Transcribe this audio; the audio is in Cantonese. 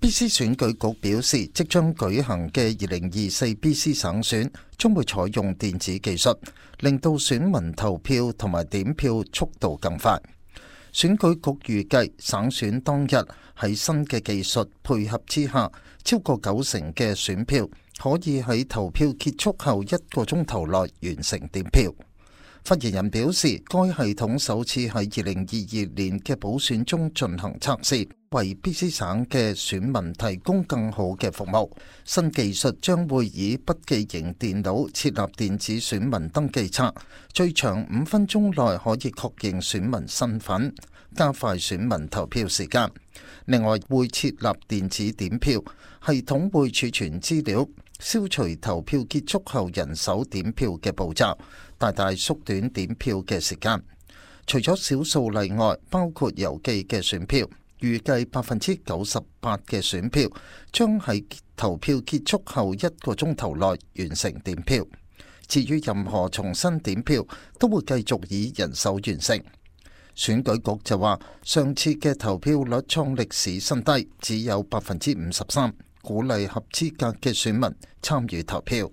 BC 選舉局表示，即將舉行嘅2024 BC 省選將會採用電子技術，令到選民投票同埋點票速度更快。選舉局預計省選當日喺新嘅技術配合之下，超過90%嘅選票可以喺投票結束後1個鐘頭內完成點票。發言人表示，該系統首次喺2022年嘅補選中進行測試，為 BC 省嘅選民提供更好嘅服務。新技術將會以筆記型電腦設立電子選民登記冊，最長5分鐘內可以確認選民身份，加快選民投票時間。另外，會設立電子點票系統，會儲存資料，消除投票結束後人手點票嘅步驟，大大縮短點票嘅時間。除咗少數例外，包括郵寄嘅選票，預計98%嘅選票將喺投票結束後1個鐘頭內完成點票。至於任何重新點票，都會繼續以人手完成。選舉局就話，上次嘅投票率創歷史新低，只有53%，鼓勵合資格嘅選民參與投票。